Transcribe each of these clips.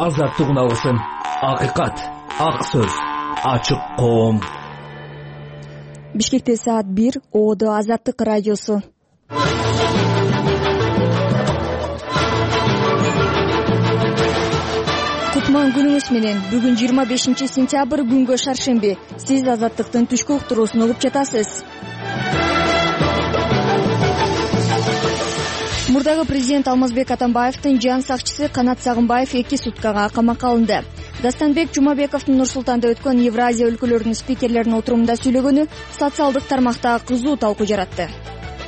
азаттык унасын. Акыйкат, ак сөз, ачык коом. Бишкекте саат 1, ООД Азаттык радиосу. Кутман күнүңүз менен. Бүгүн 25 сентябрь, күнгө шаршемби. Сиз Азаттыктын түшкү уктуруусун угуп жатасыз. Мурдагы президент Алмазбек Атамбаевдин жан сакчысы Канат Сагынбаев 2 суткага камакка алынды. Дастанбек Жумабековдун Нур-Султанда өткөн Евразия өлкөлөрүнүн спикерлеринин отурумунда сүйлөгөнү социалдык тармакта кызуу талкуу жаратты.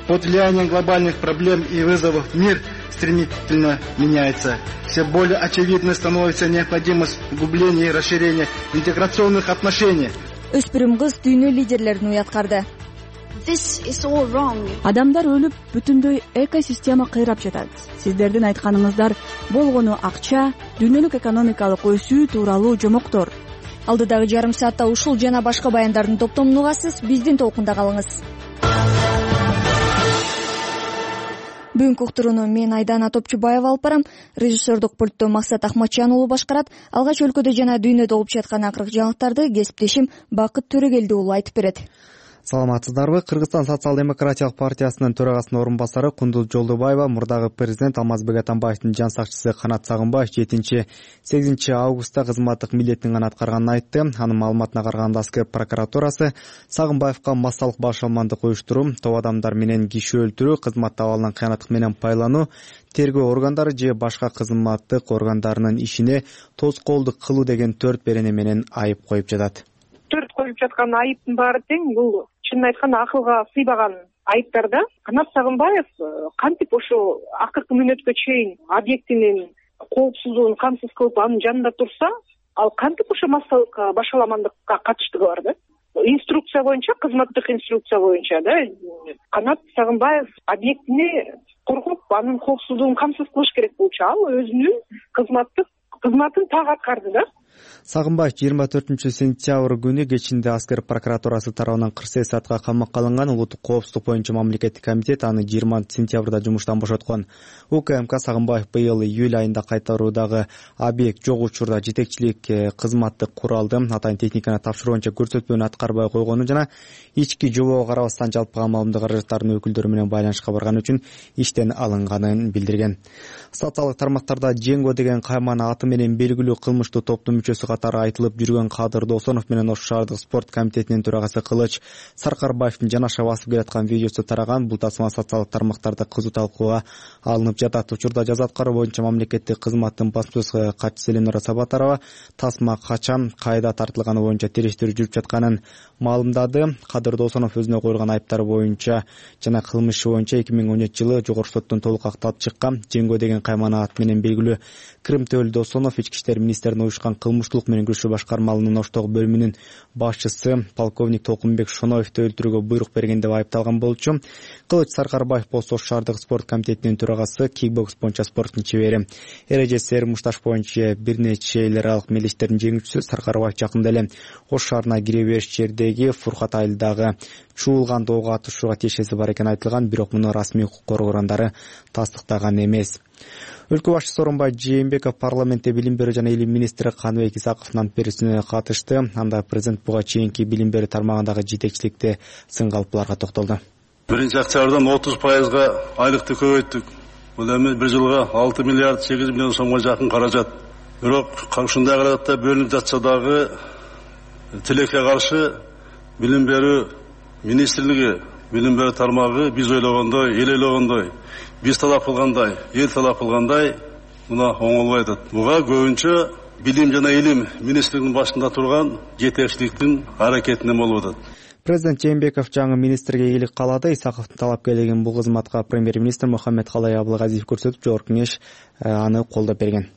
Под влиянием глобальных проблем и вызовов мир стремительно меняется. Все более очевидной становится необходимость углубления и расширения интеграционных отношений. Өспүрүм кыз дүйнө лидерлерин уяткарды. Адамдар өлүп, бүтүндөй экосистема кыйрап жатат. Сиздердин айтканыңыздар болгону акча, дүйнөлүк экономикалык өсүү тууралуу жомоктор. Алдыдагы жарым саатта ушул жана башка баяндардын топтомун угасыз. Биздин толкунда калыңыз. Бүгүнкү уктурууну мен Айдана Топчубаева алып барам. Режиссердук пультту Максат Ахматжан уулу башкарат. Алгач өлкөдө жана дүйнөдө болуп жаткан акыркы жаңылыктарды кесиптешим Бакыт Төрөгелди уулу айтып берет. Саламатсыздарбы? Кыргызстан социал-демократиялык партиясынын төрагасынын орун басары Кундуз Жолдубаева мурдагы президент Алмазбек Атамбаевдин жан сакчысы Канат Сагынбаев 7-8 августта кызматтык милдетин гана аткарганын айтты. Анын маалыматына караганда аскер прокуратурасы Сагынбаевка массалык башалмандык уюштуруу, топ адамдар менен киши өлтүрүү, кызматта абалынан кыянаттык менен пайлануу, тергөө органдары же башка кызматтык органдарынын ишине тоскоолдук кылуу деген 4 берене менен айып коюп жатат. 4 коюп жаткан айыптын баары тең. Бул чынын айтканда акылга сыйбаган айыптар да. Канат Сагынбаев кантип ошо акыркы мүнөткө чейин объектинин коопсуздугун камсыз кылып анын жанында турса, ал кантип ошо массалык башаламандыкка катыштыгы бар да. Инструкция боюнча, кызматтык инструкция боюнча да, Канат Сагынбаев объектини коргоп, анын коопсуздугун камсыз кылыш керек болчу. Ал өзүнүн кызматын так аткарды да. Сагынбаев 24 сентябрь күнү кечинде аскер прокуратурасы тарабынан 48 саатка камакка алынган. Улуттук коопсуздук боюнча мамлекеттик комитет аны 20 сентябрда жумуштан бошоткон. УКМК Сагынбаев быйыл июль айында кайтаруудагы объект жок учурда жетекчилик кызматтык куралды, атайын техниканы тапшыруу боюнча көрсөтмөнү аткарбай койгону жана ички жобого карабастан жалпы маалымдык каражаттарынын өкүлдөрү менен байланышка барган үчүн иштен алынганын билдирген. Социалдык тармактарда Женго деген каймана аты менен белгилүү кылмыштуу топтун мүчөсү катары айтылып жүргөн Кадыр Досонов менен Ош шаардык спорт комитетинин төрагасы Кылыч Саркарбаевдин жанаша басып келаткан видеосу тараган. Бул тасма социалдык тармактарда кызуу талкууга алынып жатат. Учурда жаза аткаруу боюнча мамлекеттик кызматтын басмасөз катчысы Эленора Сабатарова тасма качан, кайда тартылганы боюнча териштирүү жүрүп жатканын маалымдады. Кадыр Досонов өзүнө коюлган айыптар боюнча жана кылмышы боюнча 2013-жылы жогорку соттон толук акталып чыккан. Женго деген каймана аты менен белгилүү Крым Төлү Досонов ички иштер министринин уюшкан кылмыштуулук менен күрөшүү башкармалынын Оштогу бөлүмүнүн башчысы полковник Толкунбек Шоноевди өлтүрүүгө буйрук берген деп айыпталган болчу. Кылыч Саркарбаев болсо Ош шаардык спорт комитетинин төрагасы, кикбокс боюнча спорттун чебери. Эрежеси мушташ боюнча бир нече эл аралык мелдештердин жеңүүчүсү. Саркарбаев жакында эле Ош шаарына кире бериш жердеги Фуркат айылдагы чуулган доого атышууга тиешеси бар экени айтылган, бирок муну расмий укук коргоо органдары тастыктаган эмес. Өлкө башчысы Сооронбай Жээнбеков парламентте билим берүү жана илим министри Каныбек Исаковдун ант берүүсүнө катышты. Анда президент буга чейинки билим берүү тармагындагы жетекчиликте сынгалпыларга токтолду. 1-октябрдан 30%га айлыкты көбөйттүк. Бул эми бир жылга 6 миллиард 8 миллион сомго жакын каражат. Бирок ушундай каражатта бөлүнүп жатса дагы тилекке каршы билим берүү министрлиги, билим берүү тармагы биз ойлогондой, эл ойлогондой, биз талап кылгандай, эл талап кылгандай мына оңолбой атат. Буга көбүнчө билим жана илим министрлигинин башында турган жетекчиликтин аракетинен болуп атат. Президент Жээнбеков жаңы министрге ийгилик каалады. Исаковдун талапкерлигин бул кызматка премьер-министр Мухаммедкалай Абылгазиев көрсөтүп, жогорку кеңеш аны колдоп берген.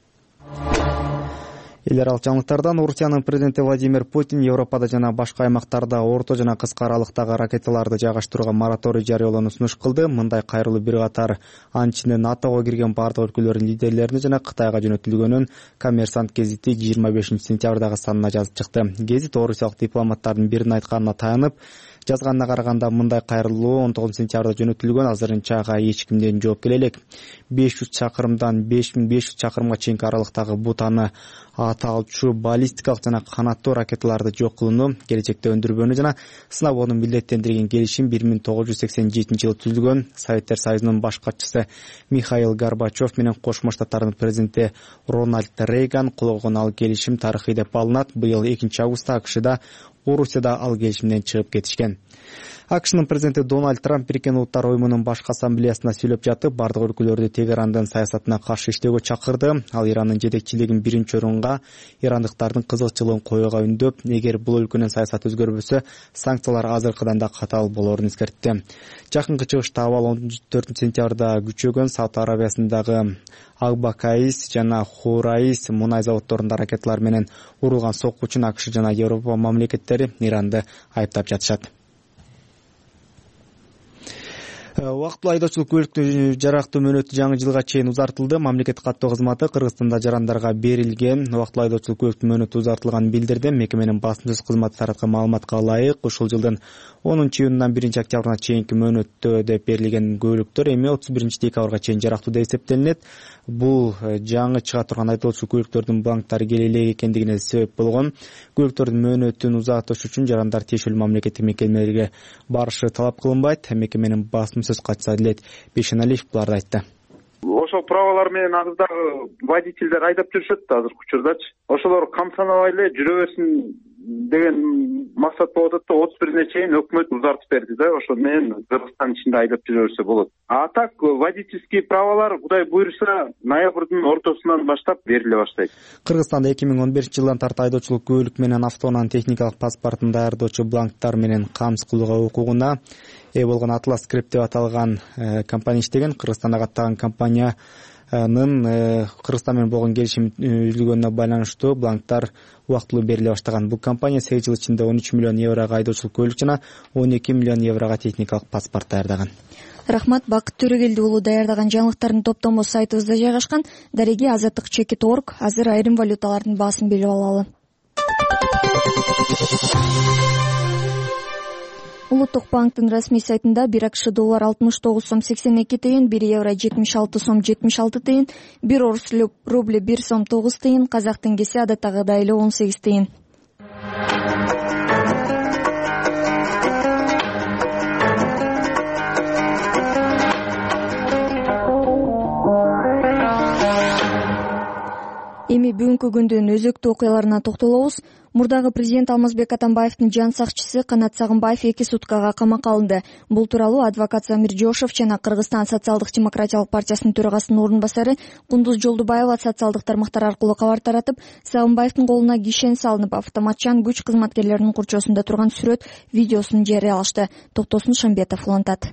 Эл аралык жаңылыктардан Орусиянын президенти Владимир Путин Европада жана башка аймактарда орто жана кыска аралыктагы ракеталарды жайгаштырууга мораторий жарыялоону сунуш кылды. Мындай кайрылуу бир катар анчинде НАТОго кирген бардык өлкөлөрдүн лидерлерине жана Кытайга жөнөтүлгөнүн Коммерсант гезити 25 сентябрдагы санына жазып чыкты. Гезит орусиялык дипломаттардын биринин айтканына таянып, Жазганына караганда мындай кайрылуу 19 сентябрда жөнөтүлгөн. Азырынча ага эч кимден жооп келе элек. 500 чакырымдан 5500 чакырымга чейинки аралыктагы бутаны аталчу баллистикалык жана канаттуу ракеталарды жок кылууну, келечекте өндүрбөнү жана сынабоону милдеттендирген келишим 1987-жылы түзүлгөн. Советтер Союзунун баш катчысы Михаил Горбачев менен Кошмо Штаттардын президенти Рональд Рейган кол койгон ал келишим тарыхый деп балынат. Быйыл 2-августта АКШда, Орусияда ал келишимден чыгып кетишкен. АКШнын президенти Дональд Трамп Бириккен Улуттар Уюмунун башкы ассамблеясында сүйлөп жатып, бардык өлкөлөрдү Тегерандын саясатына каршы иштөөгө чакырды. Ал Ирандын жетекчилигин биринчи орунга, ирандыктардын кызыкчылыгын коюуга үндөп, эгер бул өлкөнүн саясаты өзгөрбөсө, санкциялар азыркыдан да катаал болоорун эскертти. Жакынкы чыгышта абал 14 сентябрда күчөгөн. Сауд Арабиясындагы Акбакаис жана Хураис мунай заводдорунда ракеталар менен урулган сокку үчүн АКШ жана Европа мамлекеттери Иранды айыптап жатышат. Убактылуу айдоочулук көлүктү жарактуу мөөнөтү жаңы жылга чейин узартылды. Мамлекеттик каттоо кызматы Кыргызстанда жарандарга берилген убактылуу айдоочулук көлүктүн мөөнөтү узартылганын билдирди. Мекеменин басма сөз кызматы тараткан маалыматка ылайык, ушул жылдын 10-июнунан 1-октябрына чейинки мөөнөттө деп берилген көлүктөр эми 31-декабрга чейин жарактуу деп эсептелинет. Бул жаңы чыга турган айдоочулук көлүктөрдүн бланктары келе элек экендигине себеп болгон. Көлүктөрдүн мөөнөтүн узартыш үчүн жарандар тиешелүү мамлекеттик мекемелерге барышы талап кылынбайт. Мекеменин басма сөз катчысы Адилет Бейшеналиев буларды айтты. Ошол праволар менен азыр дагы водительдер айдап жүрүшөт азыркы учурдачы. Ошолор камсанабай эле жүрөбөсүн деген максат болуп атат да 31-ине чейин өкмөт узартып берди да, ошо менен Кыргызстан ичинде айдап жүрөбөсө болот. А так водительский праволар Кудай буйруса ноябрдын ортосунан баштап бериле баштайт. Кыргызстанда 2011-жылдан тарта айдоочулук көлүк менен автоунаанын техникалык паспортун даярдоочу бланктар менен камсыз кылууга укугуна ээ болгон Атлас Скреп деп аталган компания иштеген. Кыргызстандагы аттаган компаниянын Кыргызстан менен болгон келишим үзүлгөнүнө байланыштуу бланктар убактылуу бериле баштаган. Бул компания 8 жыл ичинде 13 миллион еврого айдоочулук көлүк жана 12 миллион еврого техникалык паспорт даярдаган. Рахмат. Бакыт Төрөгелди уулу даярдаган жаңылыктардын топтому сайтыбызда жайгашкан. Дареги Азаттык.org. Азыр айрым валюталардын баасын билип алалы. Улуттук банктын расмий сайтында 1 АКШ доллар 69 сом 82 тыйын, 1 евро 76 сом 76 тыйын, 1 орус рубль 1 сом 9 тыйын, казак теңгеси адаттагыдай эле 18 тыйын. Эми бүгүнкү күндүн өзөктүү окуяларына токтолобуз. Мурдагы президент Алмазбек Атамбаевдин жан сакчысы Канат Сагынбаев 2 суткага камакка алынды. Бул тууралуу адвокат Замир Жошов жана Кыргызстан социалдык-демократиялык партиясынын төрагасынын орун басары Кундуз Жолдубаева социалдык тармактар аркылуу кабар таратып, Сагынбаевдин колуна кишен салынып, автоматчан күч кызматкерлеринин курчоосунда турган сүрөт видеосун жарыялашты. Токтосун Шамбетов улантат.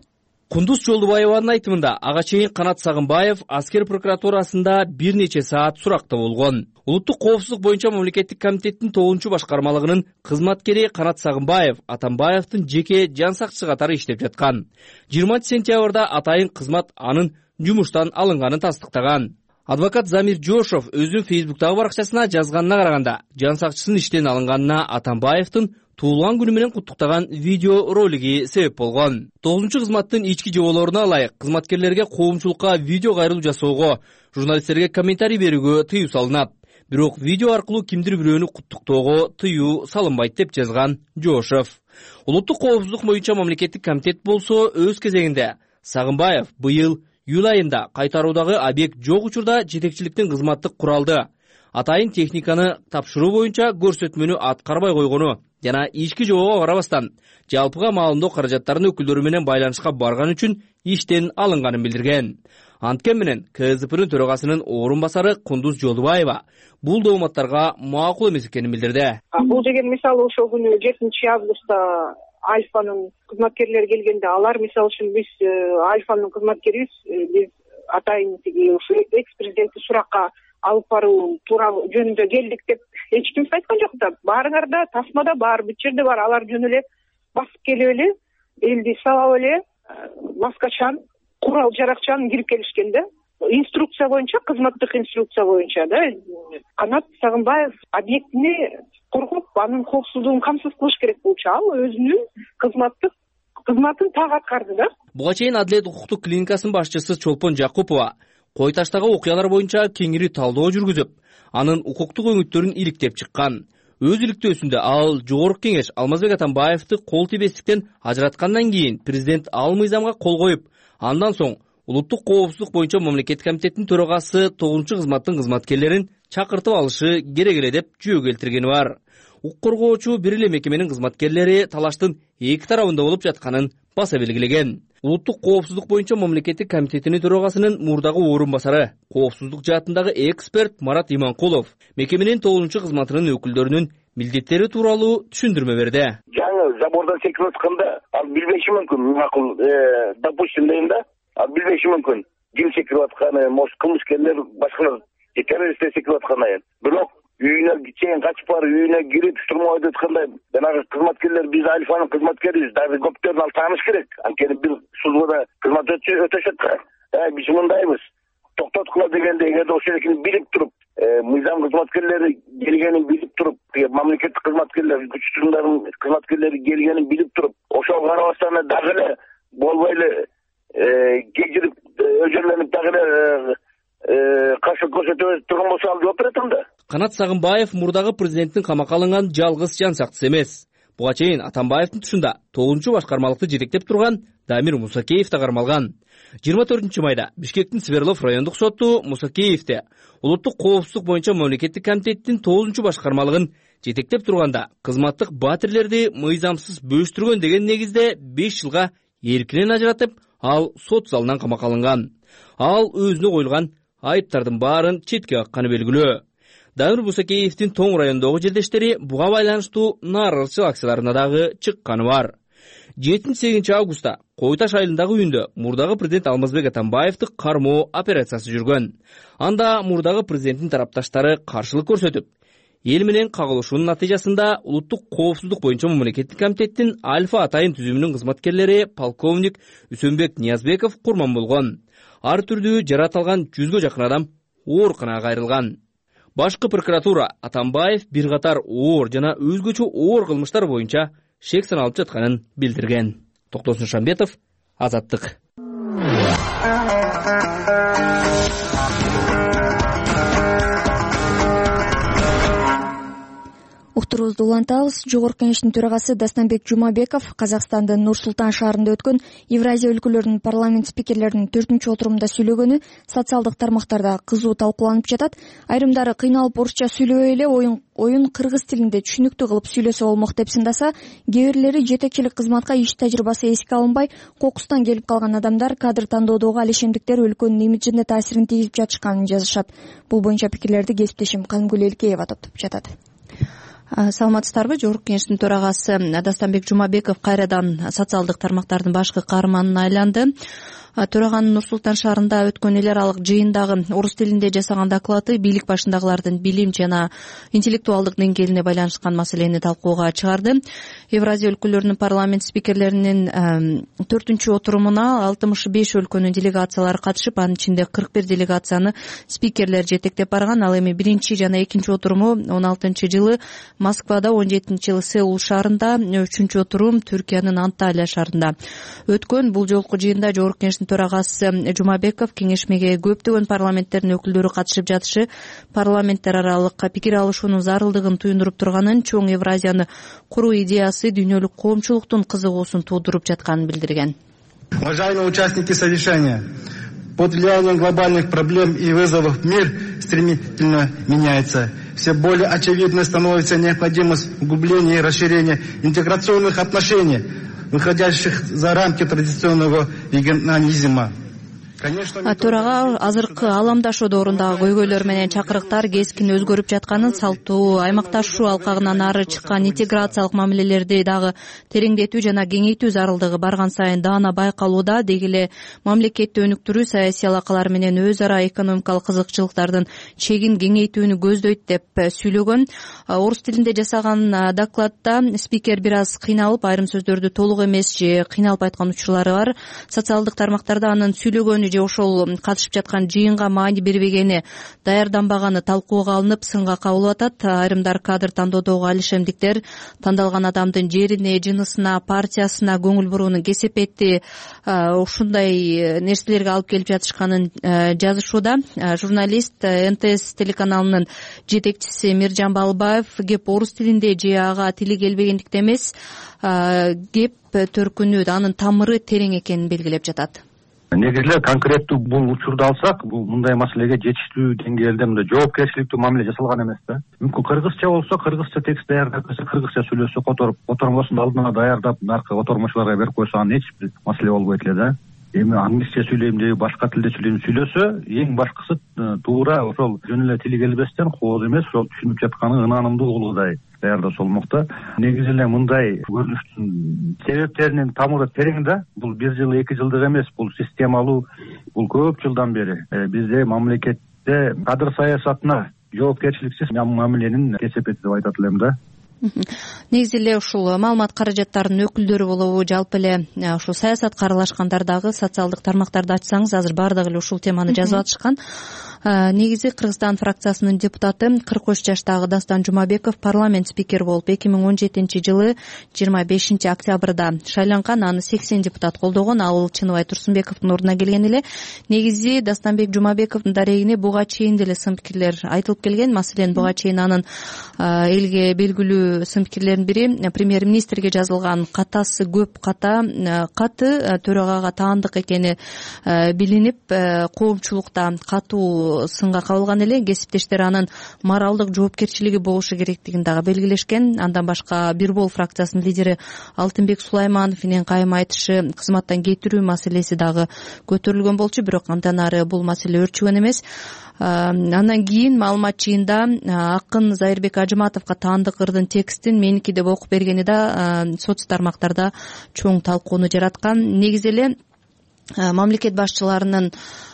Кундуз Жолдубаеванын айтымында ага чейин Канат Сагынбаев аскер прокуратурасында бир нече саат суракта болгон. Улуттук коопсуздук боюнча мамлекеттик комитеттин 9-чу башкармалыгынын кызматкери Канат Сагынбаев Атамбаевдин жеке жан сакчысы катары иштеп жаткан. 20 сентябрда атайын кызмат анын жумуштан алынганын тастыктаган. Адвокат Замир Жошов өзүнүн Фейсбуктагы баракчасына жазганына караганда, жан сакчысынын иштен алынганына Атамбаевдин туулган күнү менен куттуктаган видео ролиги себеп болгон. 9-чу кызматтын ички жоболоруна ылайык кызматкерлерге коомчулукка видео кайрылуу жасоого, журналисттерге комментарий берүүгө тыюу салынат. Бирок видео аркылуу кимдир бирөөнү куттуктоого тыюу салынбайт деп жазган Жошов. Улуттук коопсуздук боюнча мамлекеттик комитет болсо өз кезегинде Сагынбаев быйыл июль айында кайтаруудагы объект жок учурда жетекчиликтин кызматтык куралды, атайын техниканы тапшыруу боюнча көрсөтмөнү аткарбай койгону жана ички жобого карабастан жалпыга маалымдоо каражаттарынын өкүлдөрү менен байланышка барган үчүн иштен алынганын билдирген. Анткени менен КСДПнын төрагасынын орун басары Кундуз Жолдубаева бул дооматтарга макул эмес экенин билдирди. Бул деген мисалы ошол күнү 7 августта Альфанын кызматкерлери келгенде алар мисалы үчүн биз Альфанын кызматкерибиз, биз атайын тиги ушу экс-президентти суракка алып баруу тууралуу жөнүндө келдик деп эч ким айткан жок да. Баарыңар да тасмада бар, бүт жерде бар. Алар жөн эле басып келип эле, элди салап эле, маскачан, курал жаракчан кирип келишкен да. Инструкция боюнча, кызматтык инструкция боюнча да. Канат Сагынбаев объектини коргоп анын коопсуздугун камсыз кылыш керек болчу. Ал өзүнүн кызматын так аткарды да. Буга чейин Адилет укуктук клиникасынын башчысы Чолпон Жакупова Кой Таштагы окуялар боюнча кеңири талдоо жүргүзүп, анын укуктук өңүттөрүн иликтеп чыккан. Өз иликтөөсүндө ал Жогорку Кеңеш Алмазбек Атамбаевди кол тийбестиктен ажыраткандан кийин президент ал мыйзамга кол коюп, андан соң Улуттук коопсуздук боюнча мамлекеттик комитеттин төрагасы 9 кызматтын кызматкерлерин чакыртып алышы керек эле деп жөө келтиргени бар. Укук коргоочу бир эле мекеменин кызматкерлери талаштын эки тарабында болуп жатканын баса белгилеген. Улуттук коопсуздук боюнча мамлекеттик комитетинин төрагасынын мурдагы орун басары, коопсуздук жаатындагы эксперт Марат Иманкулов мекеменин 9 кызматынын өкүлдөрүнүн милдеттери тууралуу түшүндүрмө берди. Жаңы забордон секирип атканда ал билбеши мүмкүн, макул, допустим дейм да, ал билбеши мүмкүн. Ким секирип атканы, может кылмышкерлер, башкалар, террористтер секирип аткандан. Бирок үйүнө чейин качып барып, үйүнө кирип штурмовать эткандай, жанагы кызматкерлер биз Альфанын кызматкерибиз, даже көптөрүн ал тааныш керек. Анткени бир службада кызмат өтөшөт да. Биз мындайбыз. Токтоткула дегенде эгерде ошол экини билип туруп, мыйзам кызматкерлери келгенин билип туруп, мамлекеттик кызматкерлер, күч чыгымдардын кызматкерлери келгенин билип туруп, ошого карабастан дагы эле болбой эле кечирип, өжөрлөнүп дагы эле каршы көрсөтө турган болсо ал жооп берет анда. Канат Сагынбаев мурдагы президенттин камакка алынган жалгыз жан сактысы эмес. Буга чейин Атамбаевдин тушунда 9 башкармалыкты жетектеп турган Дамир Мусакеев да кармалган. 24 майда Бишкектин Свердлов райондук соту Мусакеевди Улуттук коопсуздук боюнча мамлекеттик комитеттин 9 башкармалыгын жетектеп турганда кызматтык батирлерди мыйзамсыз бөлүштүргөн деген негизде 5 жылга эркинен ажыратып, ал сот залынан камакка алынган. Ал өзүнө коюлган айыптардын баарын четке какканы белгилүү. Дамир Мусакеевдин Тоң районундагы жердештери буга байланыштуу нааразычылык акцияларына дагы чыкканы бар. 7-8 августта Кой Таш айылындагы үйүндө мурдагы президент Алмазбек Атамбаевди кармоо операциясы жүргөн. Анда мурдагы президенттин тарапташтары каршылык көрсөтүп, эл менен кагылышуунун натыйжасында Улуттук коопсуздук боюнча мамлекеттик комитеттин Альфа атайын түзүмүнүн кызматкерлери полковник Үсөнбек Ниязбеков курман болгон. Ар түрдүү жарат алган 100гө жакын адам ооруканага кайрылган. Башкы прокуратура Атамбаев бир катар оор жана өзгөчө оор кылмыштар боюнча шек саналып жатканын билдирген. Токтосун Шамбетов, Азаттык. Уктуруубузду улантабыз. Жогорку Кеңештин төрагасы Дастанбек Жумабеков Казакстандын Нур-Султан шаарында өткөн Евразия өлкөлөрүнүн парламент спикерлеринин 4-отурумунда сүйлөгөнү социалдык тармактарда кызуу талкууланып жатат. Айрымдары кыйналып орусча сүйлөбөй эле оюн кыргыз тилинде түшүнүктүү кылып сүйлөсө болмок деп сындаса, кээ бирлери жетекчилик кызматка иш тажрыйбасы эске алынбай, кокустан келип калган адамдар кадр тандоодогу алешендиктер өлкөнүн имиджине таасирин тийгизип жатышканын жазышат. Бул боюнча пикирлерди кесиптешим Казымгүл Элкеева топтоп жатат. Саламатсыздарбы? Жогорку Кеңештин төрагасы Дастанбек Жумабеков кайрадан социалдык тармактардын башкы каарманына айланды. Төраганын Нур-Султан шаарында өткөн эл аралык жыйындагы орус тилинде жасаган доклады бийлик башындагылардын билим жана интеллектуалдык деңгээлине байланышкан маселени талкууга чыгарды. Евразия өлкөлөрүнүн парламент спикерлеринин 4-отурумуна 65 өлкөнүн делегациялары катышып, анын ичинде 41 делегацияны спикерлер жетектеп барган. Ал эми 1 жана 2-отуруму 16-жылы Москвада, 17-жылы Сеул шаарында, 3-отурум Түркиянын Анталия шаарында өткөн. Бул жолку жыйында Жогорку Кеңештин төрагасы Жумабеков кеңешмеге көптөгөн парламенттердин өкүлдөрү катышып жатышы парламенттер аралык пикир алышуунун зарылдыгын туюндуруп турганын, чоң Евразияны куруу идеясы дүйнөлүк коомчулуктун кызыгуусун туудуруп жатканын билдирген. Уважаемые участники совещания, под влиянием глобальных проблем и вызовов мир стремительно меняется. Все более очевидной становится необходимость углубления и расширения интеграционных отношений, выходящих за рамки традиционного регионализма. Төрага азыркы аламдашуу доорундагы көйгөйлөр менен чакырыктар кескин өзгөрүп жатканын, салттуу аймакташуу алкагынан ары чыккан интеграциялык мамилелерди дагы тереңдетүү жана кеңейтүү зарылдыгы барган сайын даана байкалууда. Деги эле мамлекетти өнүктүрүү, саясий алакалар менен өз ара экономикалык кызыкчылыктардын чегин кеңейтүүнү көздөйт деп сүйлөгөн. Орус тилинде жасаган докладда спикер бир аз кыйналып, айрым сөздөрдү толук эмес же кыйналып айткан учурлары бар. Социалдык тармактарда анын сүйлөгөнү же ошол катышып жаткан жыйынга маани бербегени, даярданбаганы талкууга алынып сынга кабылып атат. Айрымдар кадр тандоодогу алишемдиктер тандалган адамдын жерине, жынысына, партиясына көңүл буруунун кесепети, ушундай нерселерге алып келип жатышканын жазышууда. Журналист НТС телеканалынын жетекчиси Миржан Балыбаев кеп орус тилинде же ага тили келбегендиктен эмес, кеп төркүнү, анын тамыры терең экенин белгилеп жатат. Негизи эле конкреттүү бул учурду алсак, бул мындай маселеге жетиштүү деңгээлде мындай жоопкерчиликтүү мамиле жасалган эмес да. Мүмкүн кыргызча болсо, кыргызча текст даярдап берсе, кыргызча сүйлөсө, котормосун алдына даярдап, наркы котормочуларга берип койсо, анын эч бир маселе болбойт эле да. Эми англисче сүйлөйм же башка тилде сүйлөйм сүйлөсө, эң башкысы туура ошол жөн эле тили келбестен, кооз эмес, ошол түшүнүп жатканын ынанымдуу кылгыдай даярдаса болмок да. Негизи эле мындай көрүнүштүн себептеринин тамыры терең да. Бул 1 жыл 2 жылдык эмес, бул системалуу, бул көп жылдан бери бизде мамлекетте кадр саясатына жоопкерчиликсиз мамиленин кесепети деп айтат элем да. Негизи эле ушул маалымат каражаттарынын өкүлдөрү болобу, жалпы эле ушул саясатка аралашкандар дагы социалдык тармактарды ачсаңыз, азыр баардыгы эле ушул теманы жазып атышкан. Негизи Кыргызстан фракциясынын депутаты 43 жаштагы Дастан Жумабеков парламент спикери болуп 2017-жылы 25 октябрда шайланган. Аны 80 депутат колдогон. Ал Чыныбай Турсунбековдун ордуна келген эле. Негизи Дастанбек Жумабековдун дарегине буга чейин деле сын пикирлер айтылып келген. Маселен, буга чейин анын элге белгилүү сын пикирлеринин бири премьер-министрге жазылган катасы көп каты төрагага таандык экени билинип, коомчулукта катуу сынга кабылган эле. Кесиптештер анын моралдык жоопкерчилиги болушу керектигин дагы белгилешкен. Андан башка Бир Бол фракциясынын лидери Алтынбек Сулаймановдун кайым айтышы, кызматтан кетирүү маселеси дагы көтөрүлгөн болчу, бирок андан ары бул маселе өрчүгөн эмес. Андан кийин маалымат жыйында акын Зайырбек Ажыматовго таандык ырдын текстин меники деп окуп бергени да соц тармактарда чоң талкууну жараткан. Негизи эле мамлекет башчыларынын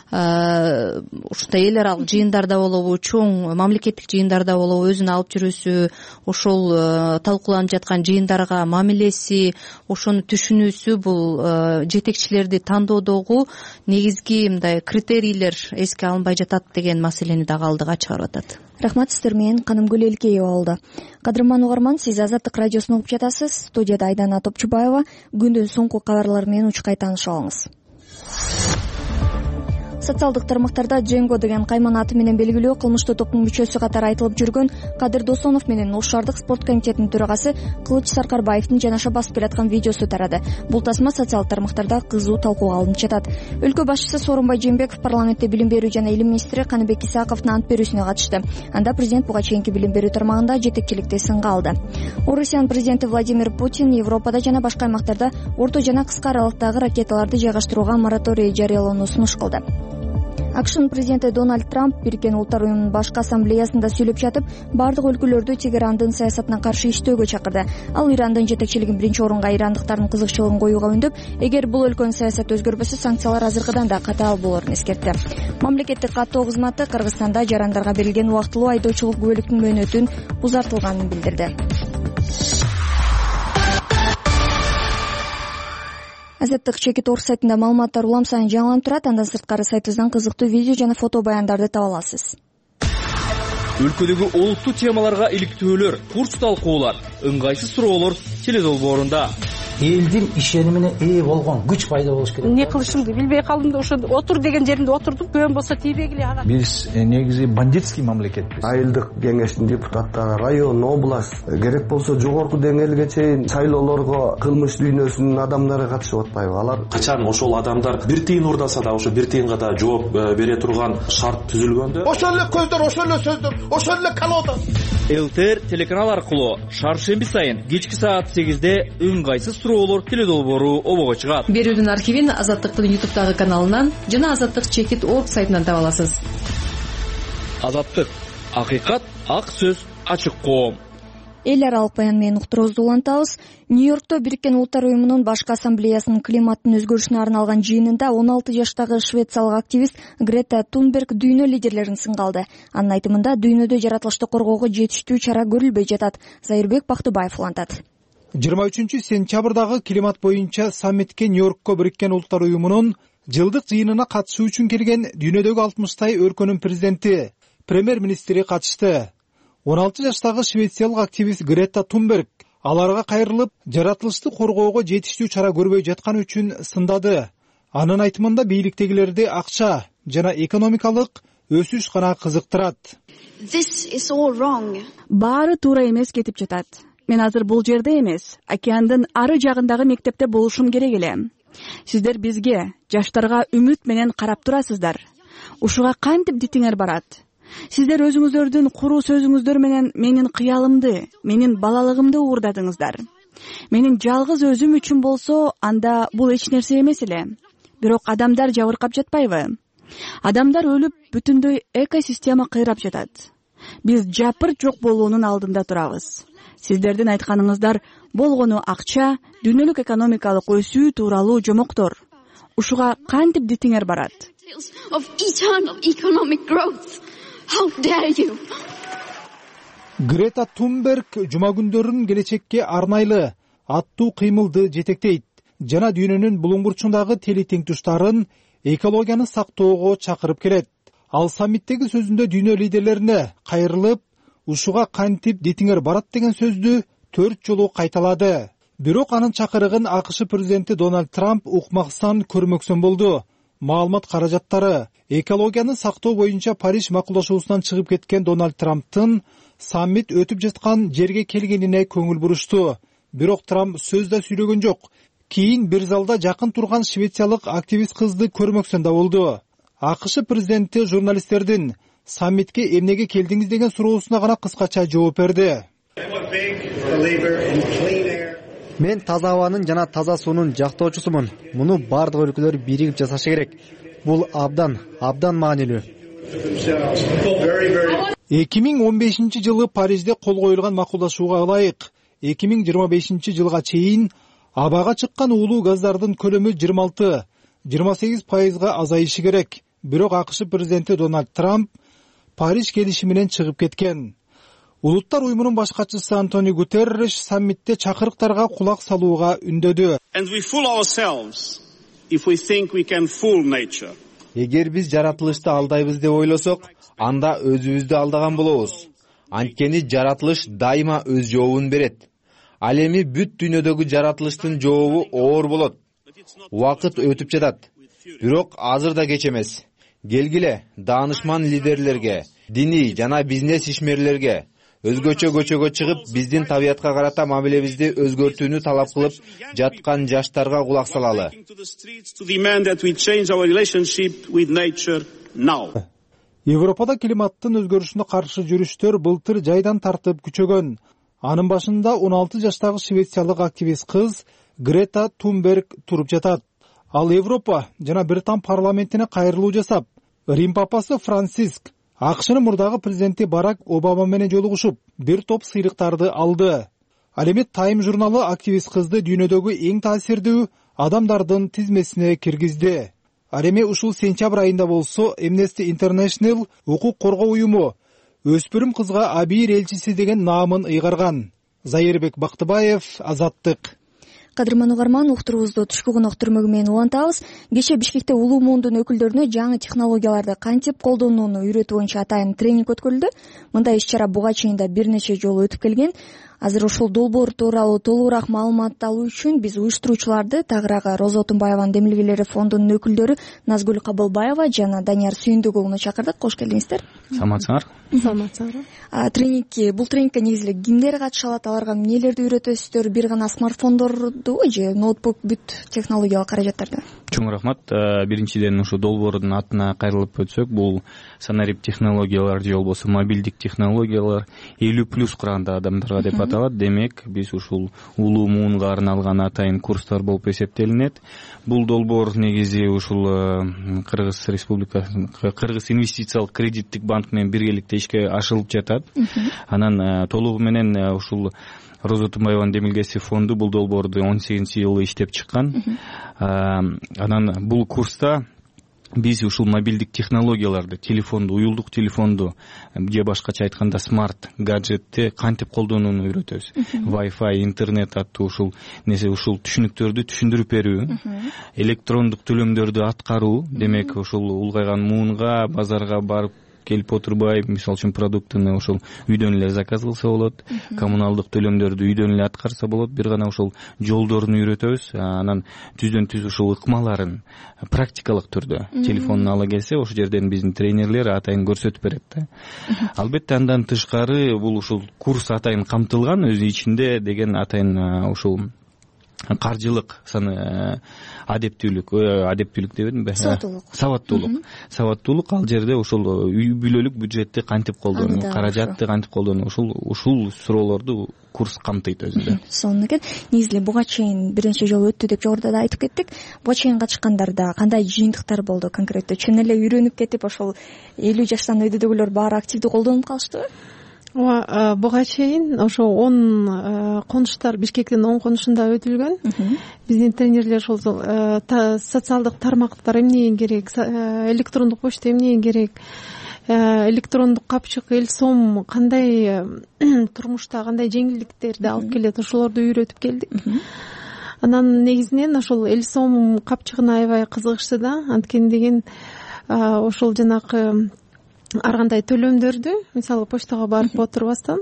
ушундай эл аралык жыйындарда болобу, чоң мамлекеттик жыйындарда болобу өзүн алып жүрүүсү, ошол талкууланып жаткан жыйындарга мамилеси, ошону түшүнүүсү бул жетекчилерди тандоодогу негизги мындай критерийлер эске алынбай жатат деген маселени дагы алдыга чыгарып атат. Рахмат, сиздер менен Канымгүл Элкеева болду. Кадырман угарман, сиз Азаттык радиосун угуп жатасыз. Студияда Айдана Топчубаева. Күндүн соңку кабарлары менен учкай таанышып алыңыз. Социалдык тармактарда Дженго деген кайман аты менен белгилүү кылмыштуу топтун мүчөсү катары айтылып жүргөн Кадыр Досонов менен Ош шаардык спорт комитетинин төрагасы Кылыч Саркарбаевдин жанаша басып келаткан видеосу тарады. Бул тасма социалдык тармактарда кызуу талкууга алынып жатат. Өлкө башчысы Сооронбай Жээнбеков парламентте билим берүү жана илим министри Каныбек Исаковдун ант берүүсүнө катышты. Анда президент буга чейинки билим берүү тармагында жетекчиликти сынга алды. Орусиянын президенти Владимир Путин Европада жана башка аймактарда орто жана кыска аралыктагы ракеталарды жайгаштырууга мораторий жарыялоону сунуш кылды. АКШнын президенти Дональд Трамп Бириккен Улуттар уюмунун башкы ассамблеясында сүйлөп жатып, бардык өлкөлөрдү Тегерандын саясатына каршы иштөөгө чакырды. Ал Ирандын жетекчилигин биринчи орунга ирандыктардын кызыкчылыгын коюуга үндөп, эгер бул өлкөнүн саясаты өзгөрбөсө, санкциялар азыркыдан да катаал болорун эскертти. Мамлекеттик каттоо кызматы Кыргызстанда жарандарга берилген убактылуу айдоочулук күбөлүктүн мөөнөтүн узартылганын билдирди. Азаттык чекит орус сайтында маалыматтар улам сайын жаңыланып турат. Андан сырткары сайтыбыздан кызыктуу видео жана фото баяндарды таба аласыз. Өлкөдөгү олуттуу темаларга иликтөөлөр, курс талкуулар, ыңгайсыз суроолор теледолбоорунда. Элдин ишенимине ээ болгон күч пайда болуш керек. Эмне кылышымды билбей калдым да, ошо отур деген жеримде отурдум. Көн болсо тийбегиле ага. Биз негизи бандитский мамлекетпиз. Айылдык кеңештин депутаттары, район, область, керек болсо жогорку деңгээлге чейин шайлоолорго кылмыш дүйнөсүнүн адамдары катышып атпайбы? Алар качан ошол адамдар бир тыйын урдаса да, ошо бир тыйынга да жооп бере турган шарт түзүлгөндө, ошол эле көздөр, ошол эле сөздөр, ошол эле колода. ЛТР телеканал аркылуу шаршемби сайын кечки саат 8-де ыңгайсыз суроолор теледолбоору обого чыгат. Берүүнүн архивин Азаттыктын YouTube'дагы каналынан жана Азаттык чекит орг сайтынан таба аласыз. Азаттык, акыйкат, ак сөз, ачык коом. Эл аралык баян менен уктуруубузду улантабыз. Нью-Йоркто Бириккен Улуттар уюмунун башкы ассамблеясынын климаттын өзгөрүшүнө арналган жыйынында 16 жаштагы швециялык активист Грета Тунберг дүйнө лидерлерин сынга алды. Анын айтымында дүйнөдө жаратылышты коргоого жетиштүү чара көрүлбөй жатат. Зайырбек Бактыбаев улантат. 23 сентябрдагы климат боюнча саммитке Нью-Йоркко Бириккен Улуттар уюмунун жылдык жыйынына катышуу үчүн келген дүйнөдөгү 60 өлкөнүн президенти, премьер-министри катышты. 16 жаштагы швециялык активист Грета Тунберг аларга кайрылып, жаратылышты коргоого жетиштүү чара көрбөй жатканы үчүн сындады. Анын айтымында бийликтегилерди акча жана экономикалык өсүш гана кызыктырат. Баары туура эмес кетип жатат. Мен азыр бул жерде эмес, океандын ары жагындагы мектепте болушум керек эле. Сиздер бизге, жаштарга үмүт менен карап турасыздар. Ушуга кантип дитиңер барат? Сиздер өзүңүздөрдүн куруу сөзүңүздөр менен менин кыялымды, менин балалыгымды уурдадыңыздар. Менин жалгыз өзүм үчүн болсо, анда бул эч нерсе эмес эле. Бирок адамдар жабыркап жатпайбы? Адамдар өлүп, бүтүндөй экосистема кыйрап жатат. Биз жапырт жок болуунун алдында турабыз. Сиздердин айтканыңыздар болгону акча, дүйнөлүк экономикалык өсүү тууралуу жомоктор. Ушуга кантип дитиңер барат? Грета Тунберг жума күндөрүн келечекке арнайлы аттуу кыймылды жетектейт жана дүйнөнүн булуң бурчундагы тели тең туштарын экологияны сактоого чакырып келет. Ал саммиттеги сөзүндө дүйнө лидерлерине кайрылып, ушуга кантип дитиңер барат деген сөздү 4 жолу кайталады. Бирок анын чакырыгын АКШ президенти Дональд Трамп укмаксан көрмөксөн болду. Маалымат каражаттары экологияны сактоо боюнча Париж макулдашуусунан чыгып кеткен Дональд Трамптын саммит өтүп жаткан жерге келгенине көңүл бурушту. Бирок Трамп сөз да сүйлөгөн жок. Кийин бир залда жакын турган швециялык активист кызды көрмөксөн да болду. АКШ президенти журналисттердин саммитке эмнеге келдиңиз деген суроосуна гана кыскача жооп берди. Мен таза абанын жана таза суунун жактоочусумун. Муну бардык өлкөлөр биригип жасашы керек. Бул абдан маанилүү. 2015 жылы Парижде кол коюлган макулдашууга ылайык 2025 жылга чейин абага чыккан уулуу газдардын көлөмү 26-28% азайышы керек. Бирок АКШ президенти Дональд Трамп Париж келишиминен чыгып кеткен. Улуттар уюмунун баш катчысы Антонио Гутерриш саммитте чакырыктарга кулак салууга үндөдү. Эгер биз жаратылышты алдайбыз деп ойлосок, анда өзүбүздү алдаган болобуз. Анткени жаратылыш дайыма өз жообун берет. Ал эми бүт дүйнөдөгү жаратылыштын жообу оор болот. Убакыт өтүп жатат. Бирок азыр да кеч эмес. Келгиле, даанышман лидерлерге, диний жана бизнес ишмерлерге өзгөчө көчөгө чыгып, биздин табиятка карата мамилебизди өзгөртүүнү талап кылып жаткан жаштарга кулак салалы. Европада климаттын өзгөрүшүнө каршы жүрүштөр былтыр жайдан тартып күчөгөн. Анын башында 16 жаштагы швециялык активист кыз Грета Тунберг туруп жатат. Ал Европа жана Британ парламентине кайрылуу жасап, Рим папасы Франциск, АКШнын мурдагы президенти Барак Обама менен жолугушуп, бир топ сыйлыктарды алды. Ал эми Time журналы активист кызды дүйнөдөгү эң таасирдүү адамдардын тизмесине киргизди. Ал эми ушул сентябрь айында болсо Amnesty International укук коргоо уюму өспүрүм кызга Абийир элчиси деген наамын ыйгарган. Зайырбек Бактыбаев, Азаттык. Кадырман угарман, уктуруубузду түшкү конок түрмөгү менен улантабыз. Кечээ Бишкекте улуу муундун өкүлдөрүнө жаңы технологияларды кантип колдонууну үйрөтүү боюнча атайын тренинг өткөрүлдү. Мындай иш-чара буга чейин да бир нече жолу өтүп келген. Азыр ушул долбоор тууралуу толугураак маалымат алуу үчүн биз уюштуруучуларды тагыраагы Роза Отунбаеванын демилгелери фондунун өкүлдөрү Назгүл Кабылбаева жана Данияр Сүйүндүк уулуну чакырдык. Кош келиңиздер. Саламатсыңар. Бул тренингке негизи кимдер катыша алат, аларга эмнелерди үйрөтөсүздөр? Бир гана смартфондордубу же ноутбук, бүт технологиялык каражаттарды? Чоң рахмат. Биринчиден ушу долбоордун атына кайрылып өтсөк, бул санарип технологиялар же болбосо мобилдик технологиялар 50+ кураганда адамдарга деп аталат. Демек, биз ушул улуу муунга арналган атайын курстар болуп эсептелинет. Бул долбоор негизи ушул Кыргыз Республикасынын Кыргыз инвестициялык кредиттик банк менен биргеликте ишке ашырылып жатат. Анан толугу менен ушул Роза Отунбаеванын демилгеси фонду бул долбоорду 18-жылы иштеп чыккан. Анан бул курста биз ушул мобилдик технологияларды, телефонду, уюлдук телефонду же башкача айтканда смарт гаджетти кантип колдонууну үйрөтөбүз. Wi-Fi, интернет аттуу ушул түшүнүктөрдү түшүндүрүп берүү, электрондук төлөмдөрдү аткаруу, демек ушул улгайган муунга базарга барып келип отурбай, мисалы үчүн продуктуну ошол үйдөн эле заказ кылса болот, коммуналдык төлөмдөрдү үйдөн эле аткарса болот. Бир гана ошол жолдорун үйрөтөбүз, анан түздөн түз ушул ыкмаларын практикалык түрдө телефонуна ала келсе, ошол жерден биздин тренерлер атайын көрсөтүп берет да. Албетте андан тышкары бул ушул курс атайын камтылган, өзү ичинде деген атайын ушул каржылык адептүүлүк дебедимби? Сабаттуулук ал жерде ошол үй бүлөлүк бюджетти кантип колдонуу, каражатты кантип колдонуу, ушул суроолорду курс камтыйт өзүндө. Сонун экен. Негизи буга чейин бир нече жолу өттү деп жогоруда да айтып кеттик. Буга чейин катышкандарда кандай жыйынтыктар болду конкреттүү? Чын эле үйрөнүп кетип, ошол 50 жаштан өйдөдөгүлөр баары активдүү колдонуп калыштыбы? Ооба, буга чейин ошо 10 конуштар, Бишкектин 10 конушунда өтүлгөн. Биздин тренерлер ошол социалдык тармактар эмне керек, электрондук почта эмне керек, электрондук капчык, эл-сом кандай турмушта кандай жеңилдиктерди алып келет, ошолорду үйрөтүп келдик. Анан негизинен ошол эл-сом капчыгына аябай кызыгышты да, анткени деген ошол жанакы ар кандай төлөмдөрдү, мисалы почтага барып отурбастан,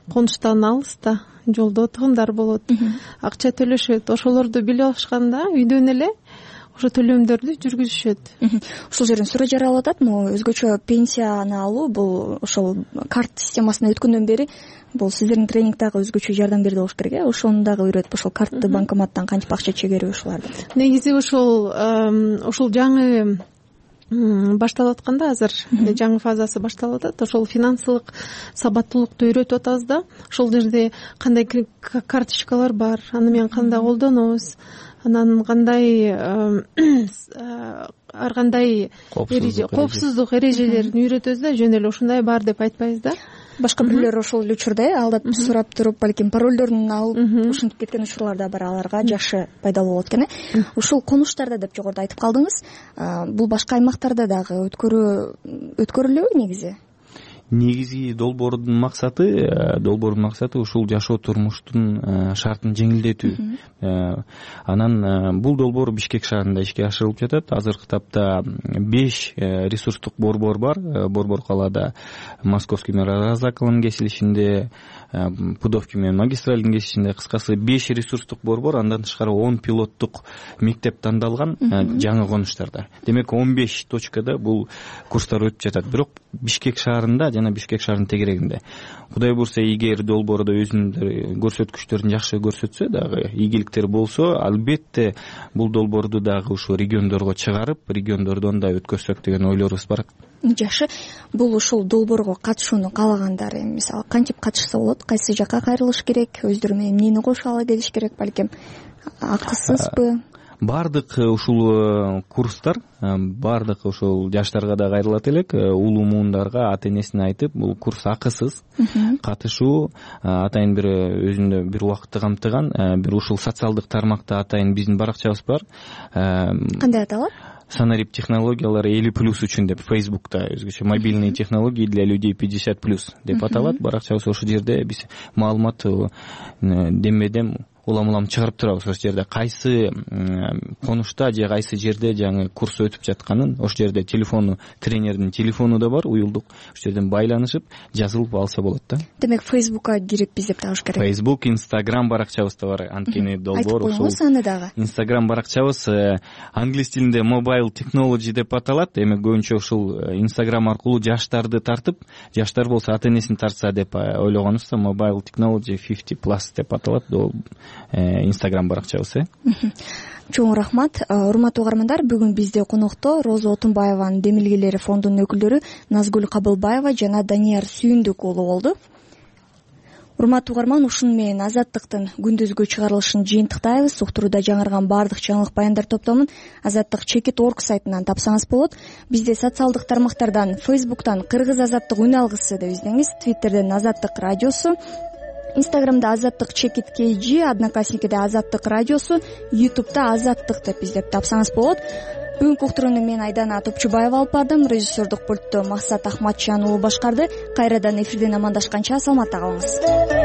конуштан алыста жолдо тыгындар болот, акча төлөшөт, ошолорду билип алышканда үйдөн эле ошо төлөмдөрдү жүргүзүшөт. Ушул жерден суроо жаралып атат, могу өзгөчө пенсияны алуу, бул ошол карт системасына өткөндөн бери бул сиздердин тренингдагы өзгөчө жардам берди болуш керек, Ошону дагы үйрөтүп, ошол картты банкоматтан кантип акча чегерүү ушуларды. Негизи ошол жаңы башталып атканда, азыр жаңы фазасы башталып атат. Ошол финансылык сабаттуулукту үйрөтүп атабыз да. Ошол жерде кандай карточкалар бар, аны менен кандай колдонобуз, анан кандай ар кандай коопсуздук эрежелерин үйрөтөбүз да. Жөн эле ушундай бар деп айтпайбыз да. Башка бирлер ошол эле учурда алдап сурап туруп, балким паролдорун алып ушинтип кеткен учурлар да бар, аларга жакшы пайдалуу болот экен. Ушул конуштарда деп жогоруда айтып калдыңыз. Бул башка аймактарда дагы өткөрүлөбү негизи? Негизи долбоордун максаты ушул жашоо турмуштун шартын жеңилдетүү. Анан бул долбоор Бишкек шаарында ишке ашырылып жатат. Азыркы тапта 5 ресурстук борбор бар. Борбор калаада Московский Мирозаковдун кесилишинде, Пудовки менен Магистральдын кесилишинде, кыскасы 5 ресурстук борбор, андан тышкары 10 пилоттук мектеп тандалган жаңы конуштарда. Демек 15 точкада бул курстар өтүп жатат. Бирок Бишкек шаарында жана Бишкек шаарынын тегерегинде. Кудай буйрса, эгер долбоордо өзүнүн көрсөткүчтөрүн жакшы көрсөтсө дагы, ийгиликтер болсо, албетте бул долбоорду дагы ушу региондорго чыгарып, региондордон да өткөрсөк деген ойлорубуз бар. Жакшы. Бул ушул долбоорго катышууну каалагандар мисалы кантип катышса болот? Кайсы жакка кайрылыш керек? Өздөрү менен эмнени кошо ала келиш керек? Балким акысызбы? Бардык ушул курстар, бардык ушул жаштарга да кайрылат элек, улуу муундарга ата-энесине айтып, бул курс акысыз. Катышуу атайын бир өзүндө бир убакытты камтыган, бир ушул социалдык тармакта атайын биздин баракчабыз бар. Кандай аталат? Санарип технологиялар 50+ үчүн деп Facebook'та өзгөчө мобильные технологии для людей 50+ деп аталат. Баракчабыз ошол жерде биз маалымат демедем улам чыгарып турабыз. Ошол жерде кайсы конушта же кайсы жерде жаңы курс өтүп жатканын, ошол жерде тренердин телефону да бар, уюлдук. Ошол жерден байланышып, жазылып алса болот да. Демек Facebook'ка кирип издеп табыш керек. Facebook, Instagram баракчабыз да бар. Анткени долбоор ошол. Айтып коюңуз аны дагы. Instagram баракчабыз англис тилинде Mobile Technology деп аталат. Демек көбүнчө ушул Instagram аркылуу жаштарды тартып, жаштар болсо ата-энесин тартса деп ойлогонубузда Mobile Technology 50+ деп аталат. Instagram баракчабыз. Чоң рахмат. Урматтуу угармандар, бүгүн бизде конокто Роза Отунбаеванын демилгелери фондунун өкүлдөрү Назгүл Кабылбаева жана Данияр Сүйүндүк уулу болду. Урматтуу угарман, ушун менен Азаттыктын күндүзгү чыгарылышын жыйынтыктайбыз. Уктурууда жаңырган баардык жаңылык баяндар топтомун Азаттык Чекит.org сайтынан тапсаңыз болот. Бизде социалдык тармактардан, Facebook'тан Кыргыз Азаттык үн алгысы деп издеңиз, Twitter'ден Азаттык радиосу, Инстаграмда Азаттык Чекит KG, Одноклассникиде Азаттык радиосу, Ютубта Азаттык деп издеп тапсаңыз болот. Бүгүнкү уктурууну мен Айдана Топчубаева алып бардым. Режиссердук пультту Максат Ахматжан уулу башкарды. Кайрадан эфирден амандашканча саламатта калыңыз.